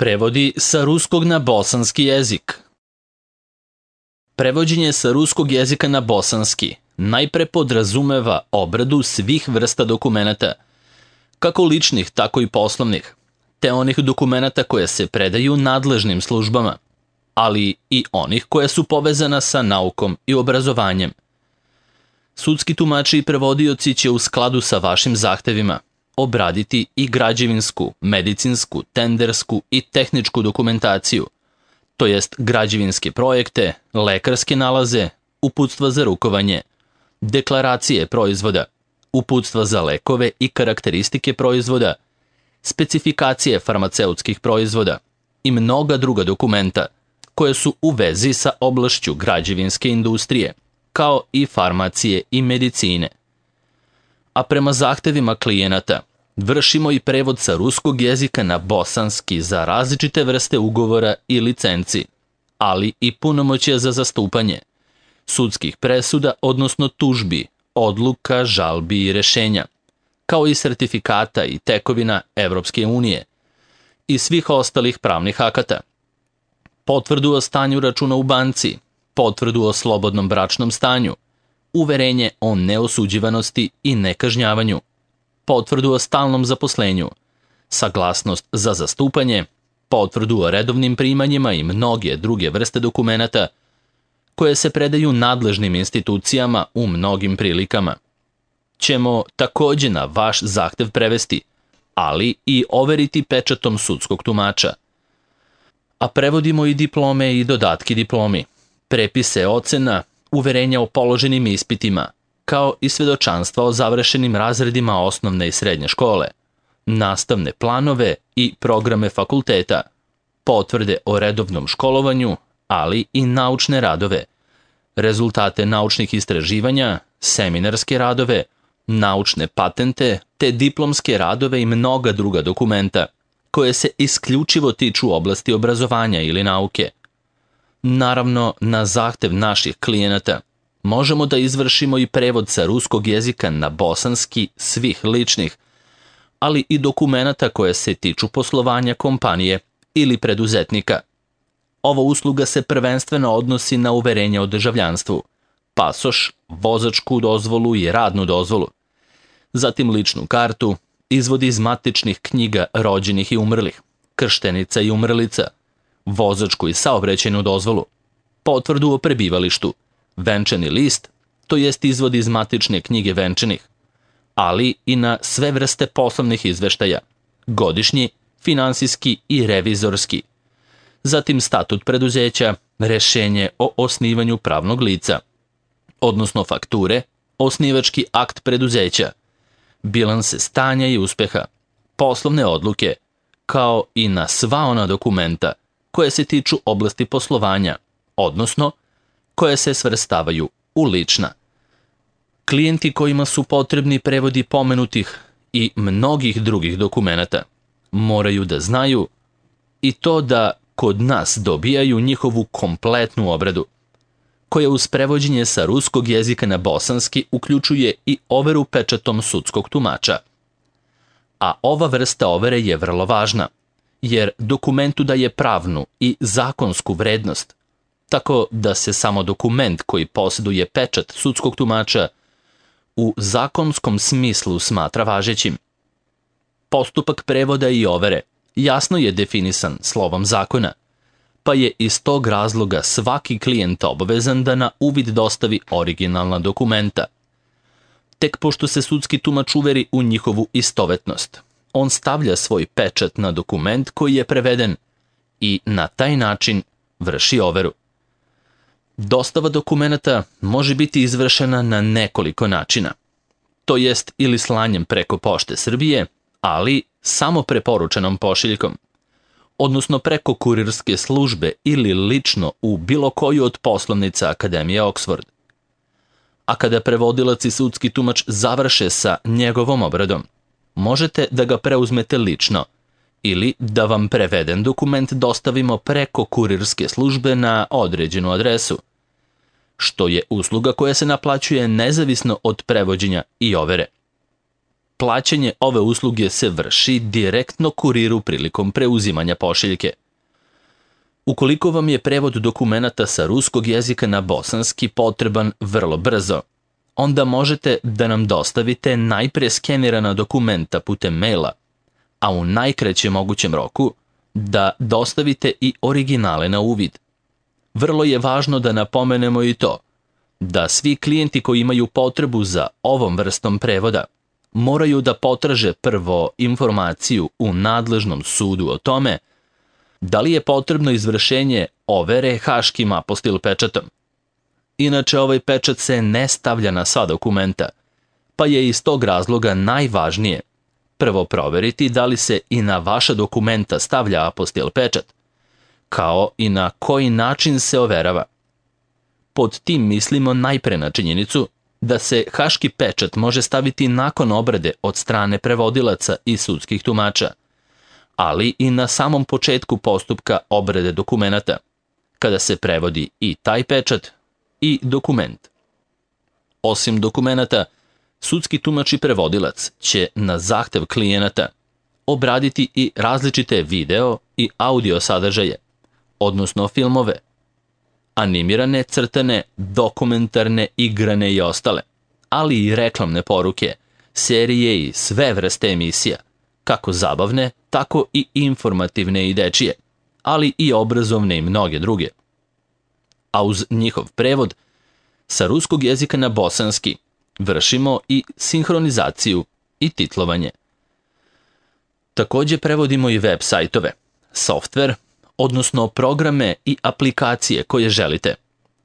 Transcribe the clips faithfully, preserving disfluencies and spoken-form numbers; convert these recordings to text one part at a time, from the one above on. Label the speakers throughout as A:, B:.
A: Prevodi sa ruskog na bosanski jezik. Prevođenje sa ruskog jezika na bosanski najpre podrazumeva obradu svih vrsta dokumenata, kako ličnih, tako i poslovnih, te onih dokumenata koje se predaju nadležnim službama, ali i onih koje su povezana sa naukom i obrazovanjem. Sudski tumači i prevodioci će u skladu sa vašim zahtevima obraditi i građevinsku, medicinsku, tendersku i tehničku dokumentaciju, to jest građevinske projekte, lekarske nalaze, uputstva za rukovanje, deklaracije proizvoda, uputstva za lekove i karakteristike proizvoda, specifikacije farmaceutskih proizvoda i mnoga druga dokumenta koje su u vezi sa oblašću građevinske industrije, kao i farmacije i medicine. A prema zahtevima klijenata vršimo i prevod sa ruskog jezika na bosanski za različite vrste ugovora i licenci, ali i punomoćja za zastupanje, sudskih presuda, odnosno tužbi, odluka, žalbi i rešenja, kao i sertifikata i tekovina Evropske unije i svih ostalih pravnih akata, potvrdu o stanju računa u banci, potvrdu o slobodnom bračnom stanju, uverenje o neosuđivanosti i nekažnjavanju, potvrdu o stalnom zaposlenju, saglasnost za zastupanje, potvrdu o redovnim primanjima i mnoge druge vrste dokumenata koje se predaju nadležnim institucijama u mnogim prilikama. Ćemo takođe na vaš zahtev prevesti, ali i overiti pečatom sudskog tumača. A prevodimo i diplome i dodatki diplomi, prepise ocena, uverenja o položenim ispitima, kao i svedočanstva o završenim razredima osnovne i srednje škole, nastavne planove i programe fakulteta, potvrde o redovnom školovanju, ali i naučne radove, rezultate naučnih istraživanja, seminarske radove, naučne patente, te diplomske radove i mnoga druga dokumenta, koje se isključivo tiču oblasti obrazovanja ili nauke. Naravno, na zahtev naših klijenata možemo da izvršimo i prevod sa ruskog jezika na bosanski svih ličnih, ali i dokumenata koje se tiču poslovanja kompanije ili preduzetnika. Ova usluga se prvenstveno odnosi na uverenje o državljanstvu, pasoš, vozačku dozvolu i radnu dozvolu, zatim ličnu kartu, izvod iz matičnih knjiga rođenih i umrlih, krštenica i umrlica, vozačku i saobraćajnu dozvolu, potvrdu o prebivalištu, venčani list, to jest izvod iz matične knjige venčanih, ali i na sve vrste poslovnih izveštaja, godišnji, finansijski i revizorski, zatim statut preduzeća, rešenje o osnivanju pravnog lica, odnosno fakture, osnivački akt preduzeća, bilanse stanja i uspeha, poslovne odluke, kao i na sva ona dokumenta koje se tiču oblasti poslovanja, odnosno koje se svrstavaju u lična. Klijenti kojima su potrebni prevodi pomenutih i mnogih drugih dokumenata moraju da znaju i to da kod nas dobijaju njihovu kompletnu obradu, koja uz prevođenje sa ruskog jezika na bosanski uključuje i overu pečatom sudskog tumača. A ova vrsta overe je vrlo važna, jer dokumentu daje pravnu i zakonsku vrednost, tako da se samo dokument koji posjeduje pečat sudskog tumača u zakonskom smislu smatra važećim. Postupak prevoda i overe jasno je definisan slovom zakona, pa je iz tog razloga svaki klijent obavezan da na uvid dostavi originalna dokumenta. Tek pošto se sudski tumač uveri u njihovu istovetnost, on stavlja svoj pečat na dokument koji je preveden i na taj način vrši overu. Dostava dokumenata može biti izvršena na nekoliko načina, to jest ili slanjem preko Pošte Srbije, ali samo preporučenom pošiljkom, odnosno preko kurirske službe ili lično u bilo koju od poslovnica Akademije Oxford. A kada prevodilac i sudski tumač završe sa njegovom obradom, možete da ga preuzmete lično ili da vam preveden dokument dostavimo preko kurirske službe na određenu adresu, što je usluga koja se naplaćuje nezavisno od prevođenja i overe. plaćanje ove usluge se vrši direktno kuriru prilikom preuzimanja pošiljke. Ukoliko vam je prevod dokumenata sa ruskog jezika na bosanski potreban vrlo brzo, onda možete da nam dostavite najpre skenirana dokumenta putem maila, a u najkraćem mogućem roku da dostavite i originale na uvid. Vrlo je važno da napomenemo i to da svi klijenti koji imaju potrebu za ovom vrstom prevoda moraju da potraže prvo informaciju u nadležnom sudu o tome da li je potrebno izvršenje overe haškim apostil pečatom. Inače, ovaj pečat se ne stavlja na sva dokumenta, pa je iz tog razloga najvažnije prvo proveriti da li se i na vaša dokumenta stavlja apostil pečat, kao i na koji način se overava. Pod tim mislimo najpre na činjenicu da se haški pečat može staviti nakon obrade od strane prevodilaca i sudskih tumača, ali i na samom početku postupka obrade dokumenata, kada se prevodi i taj pečat i dokument. Osim dokumenata, sudski tumač i prevodilac će na zahtev klijenata obraditi i različite video i audio sadržaje, odnosno filmove, animirane, crtane, dokumentarne, igrane i ostale, ali i reklamne poruke, serije i sve vrste emisija, kako zabavne, tako i informativne i dečije, ali i obrazovne i mnoge druge. A uz njihov prevod, sa ruskog jezika na bosanski vršimo i sinhronizaciju i titlovanje. Takođe prevodimo i web sajtove, softver, odnosno programe i aplikacije koje želite,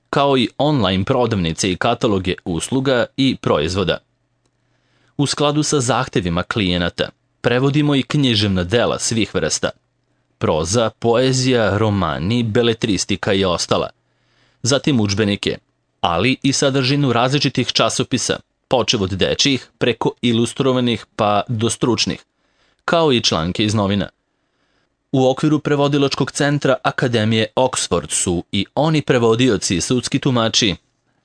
A: kao i online prodavnice i kataloge usluga i proizvoda. U skladu sa zahtevima klijenata, prevodimo i književna dela svih vrsta, proza, poezija, romani, beletristika i ostala, zatim udžbenike, ali i sadržinu različitih časopisa, počev od dečjih preko ilustrovanih pa do stručnih, kao i članke iz novina. U okviru prevodilačkog centra Akademije Oxford su i oni prevodioci i sudski tumači,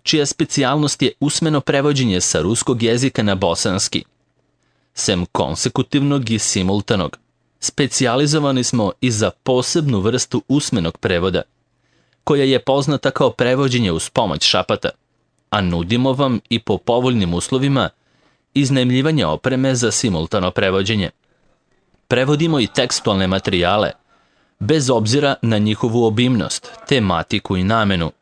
A: čija specijalnost je usmeno prevođenje sa ruskog jezika na bosanski. Sem konsekutivnog i simultanog, specijalizovani smo i za posebnu vrstu usmenog prevoda, koja je poznata kao prevođenje uz pomoć šapata, a nudimo vam i po povoljnim uslovima iznajmljivanje opreme za simultano prevođenje. Prevodimo i tekstualne materijale, bez obzira na njihovu obimnost, tematiku i namenu.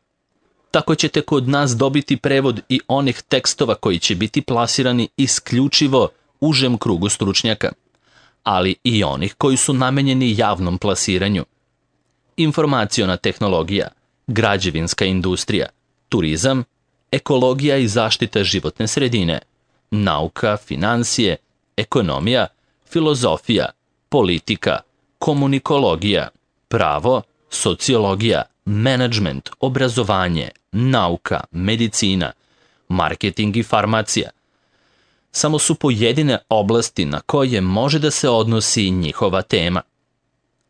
A: Tako ćete kod nas dobiti prevod i onih tekstova koji će biti plasirani isključivo užem krugu stručnjaka, ali i onih koji su namenjeni javnom plasiranju. Informaciona tehnologija, građevinska industrija, turizam, ekologija i zaštita životne sredine, nauka, finansije, ekonomija, filozofija, politika, komunikologija, pravo, sociologija, menadžment, obrazovanje, nauka, medicina, marketing i farmacija. Samo su pojedine oblasti na koje može da se odnosi njihova tema.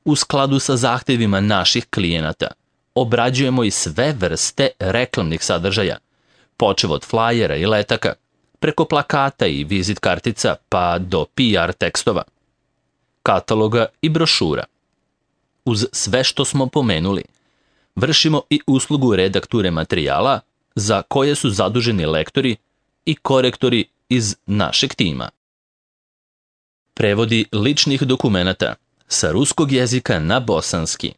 A: U skladu sa zahtevima naših klijenata, obrađujemo i sve vrste reklamnih sadržaja, počev od flajera i letaka, preko plakata i vizit kartica pa do P R tekstova, kataloga i brošura. Uz sve što smo pomenuli, vršimo i uslugu redakture materijala za koje su zaduženi lektori i korektori iz našeg tima. Prevodi ličnih dokumenata sa ruskog jezika na bosanski.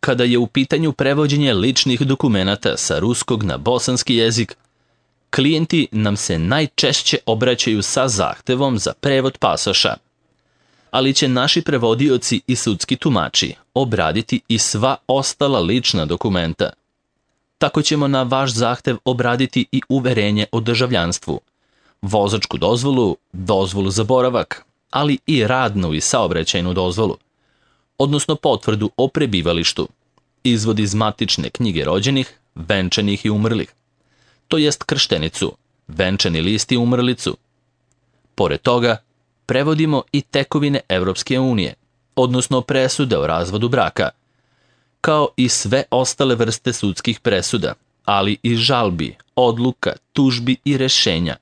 A: Kada je u pitanju prevođenje ličnih dokumenata sa ruskog na bosanski jezik, klijenti nam se najčešće obraćaju sa zahtevom za prevod pasoša, ali će naši prevodioci i sudski tumači obraditi i sva ostala lična dokumenta. Tako ćemo na vaš zahtev obraditi i uverenje o državljanstvu, vozačku dozvolu, dozvolu za boravak, ali i radnu i saobraćajnu dozvolu, odnosno potvrdu o prebivalištu, izvod iz matične knjige rođenih, venčanih i umrlih, to jest krštenicu, venčani list i umrlicu. Pored toga, prevodimo i tekovine Evropske unije, odnosno presude o razvodu braka, kao i sve ostale vrste sudskih presuda, ali i žalbi, odluka, tužbi i rešenja,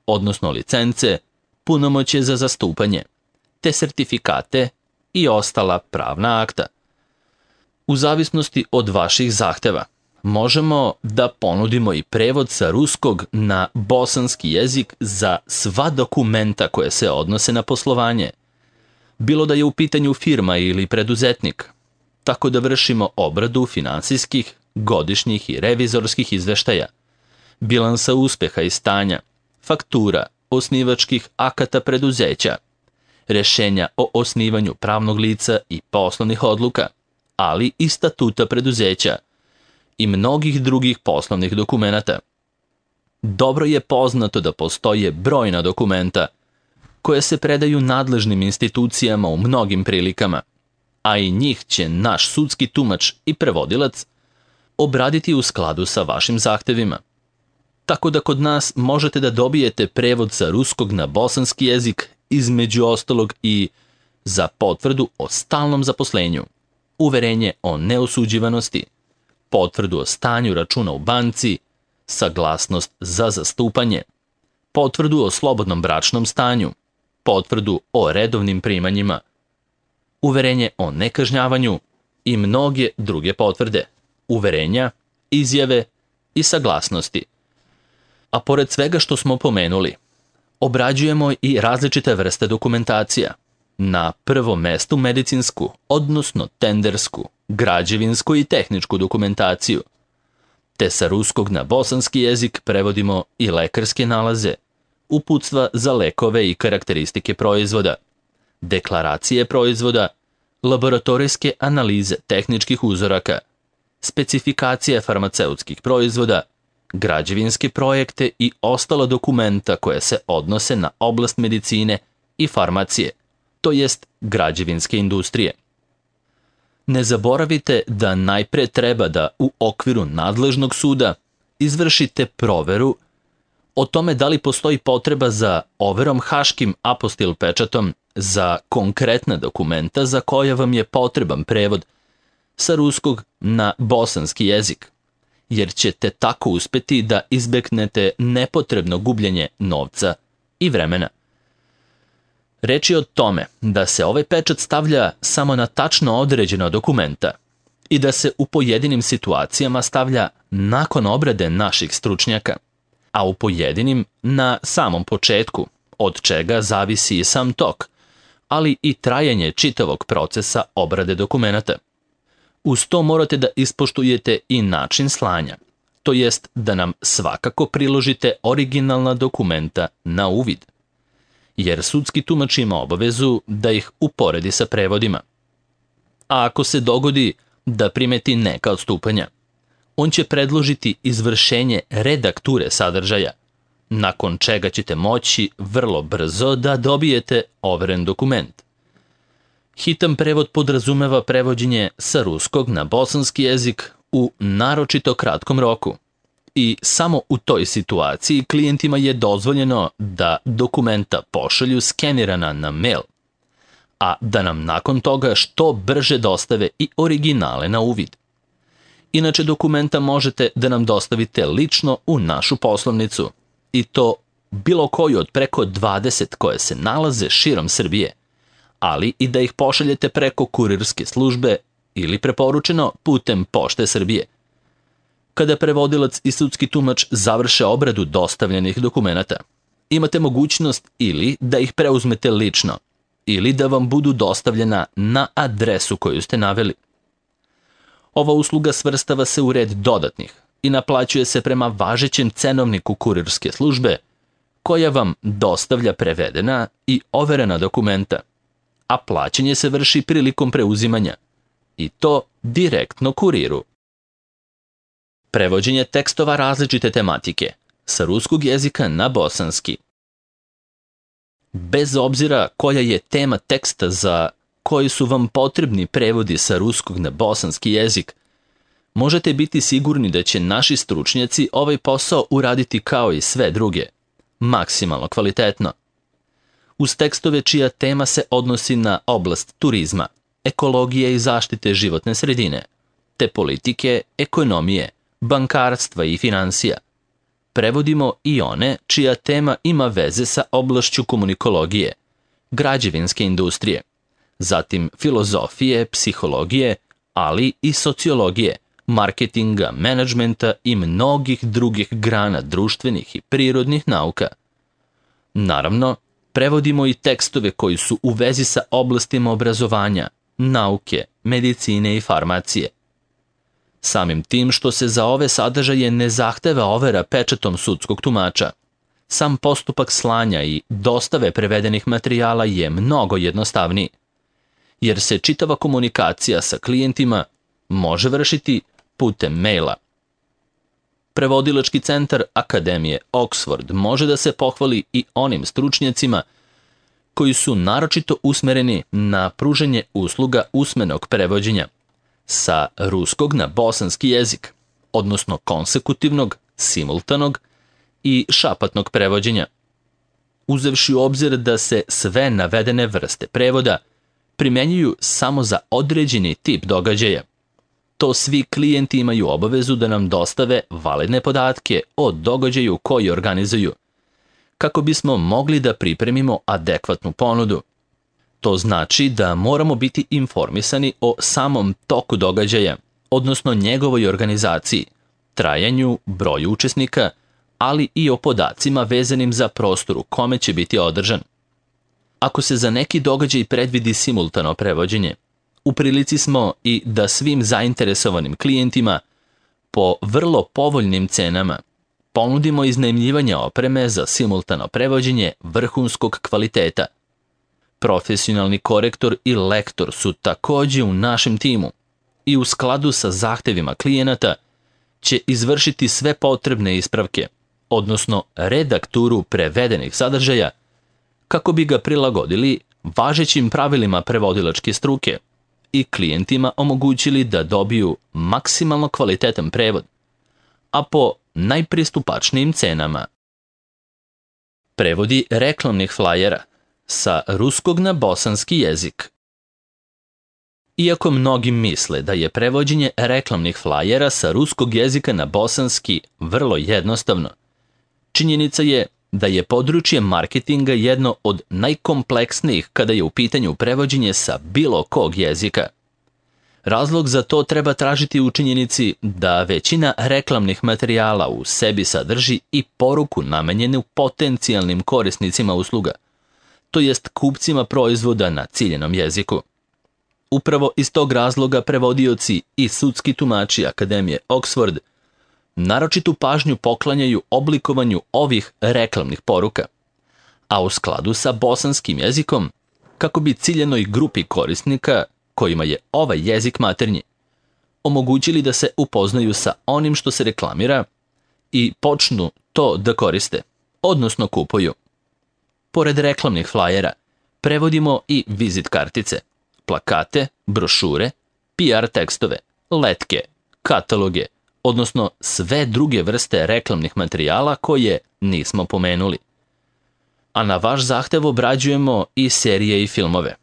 A: odnosno licence, punomoćje za zastupanje, te sertifikate i ostala pravna akta. U zavisnosti od vaših zahteva, možemo da ponudimo i prevod sa ruskog na bosanski jezik za sva dokumenta koje se odnose na poslovanje, bilo da je u pitanju firma ili preduzetnik, tako da vršimo obradu finansijskih, godišnjih i revizorskih izveštaja, bilansa uspeha i stanja, faktura, osnivačkih akata preduzeća, rešenja o osnivanju pravnog lica i poslovnih odluka, ali i statuta preduzeća i mnogih drugih poslovnih dokumenata. Dobro je poznato da postoje brojna dokumenta koje se predaju nadležnim institucijama u mnogim prilikama, a i njih će naš sudski tumač i prevodilac obraditi u skladu sa vašim zahtevima. Tako da kod nas možete da dobijete prevod sa ruskog na bosanski jezik, između ostalog i za potvrdu o stalnom zaposlenju, uverenje o neosuđivanosti, potvrdu o stanju računa u banci, saglasnost za zastupanje, potvrdu o slobodnom bračnom stanju, potvrdu o redovnim primanjima, uverenje o nekažnjavanju i mnoge druge potvrde, uverenja, izjave i saglasnosti. A pored svega što smo pomenuli, obrađujemo i različite vrste dokumentacija. Na prvom mestu medicinsku, odnosno tendersku, građevinsku i tehničku dokumentaciju. Te sa ruskog na bosanski jezik prevodimo i lekarske nalaze, uputstva za lekove i karakteristike proizvoda, deklaracije proizvoda, laboratorijske analize tehničkih uzoraka, specifikacije farmaceutskih proizvoda, građevinske projekte i ostala dokumenta koje se odnose na oblast medicine i farmacije, to jest građevinske industrije. Ne zaboravite da najpre treba da u okviru nadležnog suda izvršite proveru o tome da li postoji potreba za overom haškim apostil pečatom za konkretna dokumenta za koja vam je potreban prevod sa ruskog na bosanski jezik, jer ćete tako uspeti da izbegnete nepotrebno gubljenje novca i vremena. Reč je o tome da se ovaj pečat stavlja samo na tačno određena dokumenta i da se u pojedinim situacijama stavlja nakon obrade naših stručnjaka, a u pojedinim na samom početku, od čega zavisi i sam tok, ali i trajanje čitavog procesa obrade dokumenata. Uz to morate da ispoštujete i način slanja, to jest da nam svakako priložite originalna dokumenta na uvid, jer sudski tumač ima obavezu da ih uporedi sa prevodima. A ako se dogodi da primeti neka odstupanja, on će predložiti izvršenje redakture sadržaja, nakon čega ćete moći vrlo brzo da dobijete overen dokument. Hitan prevod podrazumeva prevođenje sa ruskog na bosanski jezik u naročito kratkom roku i samo u toj situaciji klijentima je dozvoljeno da dokumenta pošalju skenirana na mail, a da nam nakon toga što brže dostave i originale na uvid. Inače, dokumenta možete da nam dostavite lično u našu poslovnicu, i to bilo koju od preko dvadeset koje se nalaze širom Srbije, ali i da ih pošaljete preko kurirske službe ili preporučeno putem Pošte Srbije. Kada prevodilac i sudski tumač završe obradu dostavljenih dokumenata, imate mogućnost ili da ih preuzmete lično, ili da vam budu dostavljena na adresu koju ste naveli. Ova usluga svrstava se u red dodatnih i naplaćuje se prema važećem cenovniku kurirske službe, koja vam dostavlja prevedena i overena dokumenta, a plaćanje se vrši prilikom preuzimanja, i to direktno kuriru. Prevođenje tekstova različite tematike sa ruskog jezika na bosanski. Bez obzira koja je tema teksta za koji su vam potrebni prevodi sa ruskog na bosanski jezik, možete biti sigurni da će naši stručnjaci ovaj posao uraditi kao i sve druge, maksimalno kvalitetno. Uz tekstove čija tema se odnosi na oblast turizma, ekologije i zaštite životne sredine, te politike, ekonomije, bankarstva i finansija. prevodimo i one čija tema ima veze sa oblašću komunikologije, građevinske industrije, zatim filozofije, psihologije, ali i sociologije, marketinga, menadžmenta i mnogih drugih grana društvenih i prirodnih nauka. Naravno, prevodimo i tekstove koji su u vezi sa oblastima obrazovanja, nauke, medicine i farmacije. Samim tim što se za ove sadržaje ne zahteva overa pečatom sudskog tumača, sam postupak slanja i dostave prevedenih materijala je mnogo jednostavniji, jer se čitava komunikacija sa klijentima može vršiti putem maila. Prevodilački centar Akademije Oxford može da se pohvali i onim stručnjacima koji su naročito usmereni na pružanje usluga usmenog prevođenja sa ruskog na bosanski jezik, odnosno konsekutivnog, simultanog i šapatnog prevođenja. Uzevši u obzir da se sve navedene vrste prevoda primenjuju samo za određeni tip događaja, to svi klijenti imaju obavezu da nam dostave validne podatke o događaju koji organizuju, kako bismo mogli da pripremimo adekvatnu ponudu. To znači da moramo biti informisani o samom toku događaja, odnosno njegovoj organizaciji, trajanju, broju učesnika, ali i o podacima vezanim za prostor u kome će biti održan. Ako se za neki događaj predvidi simultano prevođenje, u prilici smo i da svim zainteresovanim klijentima po vrlo povoljnim cenama ponudimo iznajmljivanje opreme za simultano prevođenje vrhunskog kvaliteta. Profesionalni korektor i lektor su takođe u našem timu i u skladu sa zahtevima klijenata će izvršiti sve potrebne ispravke, odnosno redakturu prevedenih sadržaja, kako bi ga prilagodili važećim pravilima prevodilačke struke i klijentima omogućili da dobiju maksimalno kvalitetan prevod, a po najpristupačnijim cenama. Prevodi reklamnih flajera sa ruskog na bosanski jezik. Iako mnogi misle da je prevođenje reklamnih flajera sa ruskog jezika na bosanski vrlo jednostavno, činjenica je da je područje marketinga jedno od najkompleksnijih kada je u pitanju prevođenje sa bilo kog jezika. Razlog za to treba tražiti u činjenici da većina reklamnih materijala u sebi sadrži i poruku namenjenu potencijalnim korisnicima usluga, to jest kupcima proizvoda na ciljenom jeziku. Upravo iz tog razloga prevodioci i sudski tumači Akademije Oxford naročitu pažnju poklanjaju oblikovanju ovih reklamnih poruka, a u skladu sa bosanskim jezikom, kako bi ciljenoj grupi korisnika, kojima je ovaj jezik maternji, omogućili da se upoznaju sa onim što se reklamira i počnu to da koriste, odnosno kupuju. Pored reklamnih flajera, prevodimo i vizit kartice, plakate, brošure, P R tekstove, letke, kataloge, odnosno sve druge vrste reklamnih materijala koje nismo pomenuli. A na vaš zahtev obrađujemo i serije i filmove,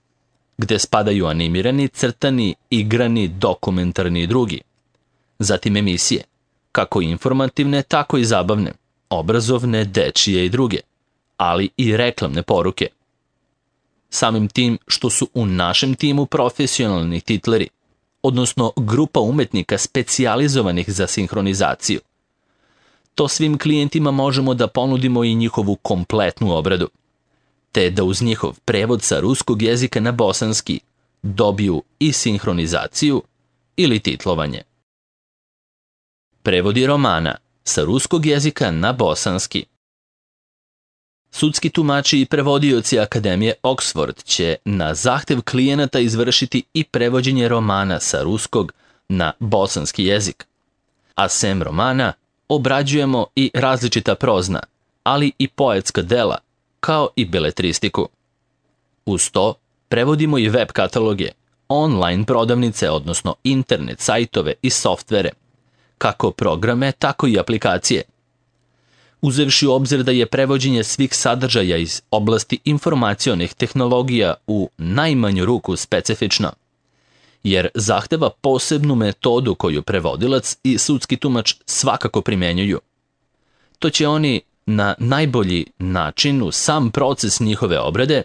A: gde spadaju animirani, crtani, igrani, dokumentarni i drugi. Zatim emisije, kako informativne, tako i zabavne, obrazovne, dečije i druge, ali i reklamne poruke. Samim tim što su u našem timu profesionalni titleri, odnosno grupa umetnika specijalizovanih za sinhronizaciju, to svim klijentima možemo da ponudimo i njihovu kompletnu obradu, te da uz njihov prevod sa ruskog jezika na bosanski dobiju i sinhronizaciju ili titlovanje. Prevodi romana sa ruskog jezika na bosanski. Sudski tumači i prevodioci Akademije Oxford će na zahtev klijenata izvršiti i prevođenje romana sa ruskog na bosanski jezik, a sem romana obrađujemo i različita prozna, ali i poetska dela, kao i beletristiku. Uz to prevodimo i web kataloge, online prodavnice, odnosno internet sajtove i softvere, kako programe, tako i aplikacije. Uzevši u obzir da je prevođenje svih sadržaja iz oblasti informacionih tehnologija u najmanju ruku specifično, jer zahteva posebnu metodu koju prevodilac i sudski tumač svakako primenjuju. to će oni na najbolji način u sam proces njihove obrade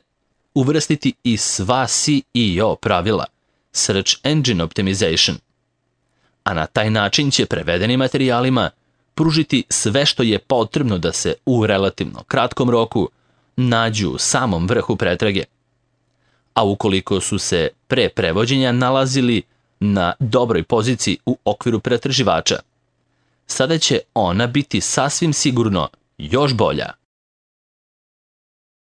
A: uvrstiti i sva S E O pravila, Search Engine Optimization, a na taj način će prevedenim materijalima pružiti sve što je potrebno da se u relativno kratkom roku nađu u samom vrhu pretrage. A ukoliko su se pre prevođenja nalazili na dobroj poziciji u okviru pretraživača, sada će ona biti sasvim sigurno još bolja.